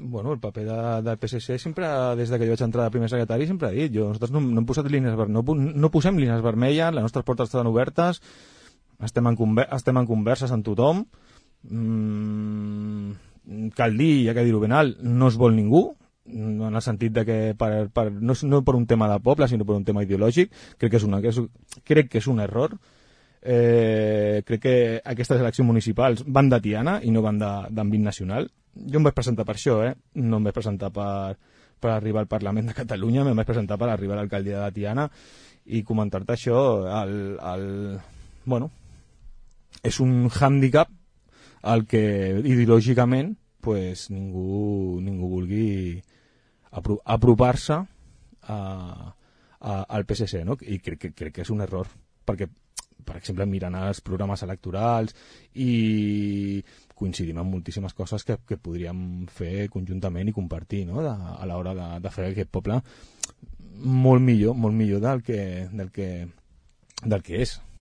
Bueno, el paper del PSC sempre, des que jo vaig entrar de primer secretari, sempre he dit, nosaltres no hem posat línies vermelles, no posem línies vermelles, les nostres portes estan obertes, estem en converses amb tothom, cal dir, ja que dir-ho ben alt, no es vol ningú, en el sentit de que no per un tema de poble, sinó per un tema ideològic, crec que és un error. Crec que aquestes eleccions municipals van de Tiana i no van d'àmbit nacional. Jo em vaig presentar per això, no em vaig presentar per arribar al Parlament de Catalunya, em vaig presentar per arribar a l'alcaldia de Tiana i comentar-te això. Bueno, és un hàndicap al que ideològicament pues, ningú vulgui apropar-se al PSC, no? I crec que és un error, perquè per exemple, mirant els programes electorals i coincidim en moltíssimes coses que podríem fer conjuntament i compartir, no? A l'hora de fer aquest poble molt millor del que és.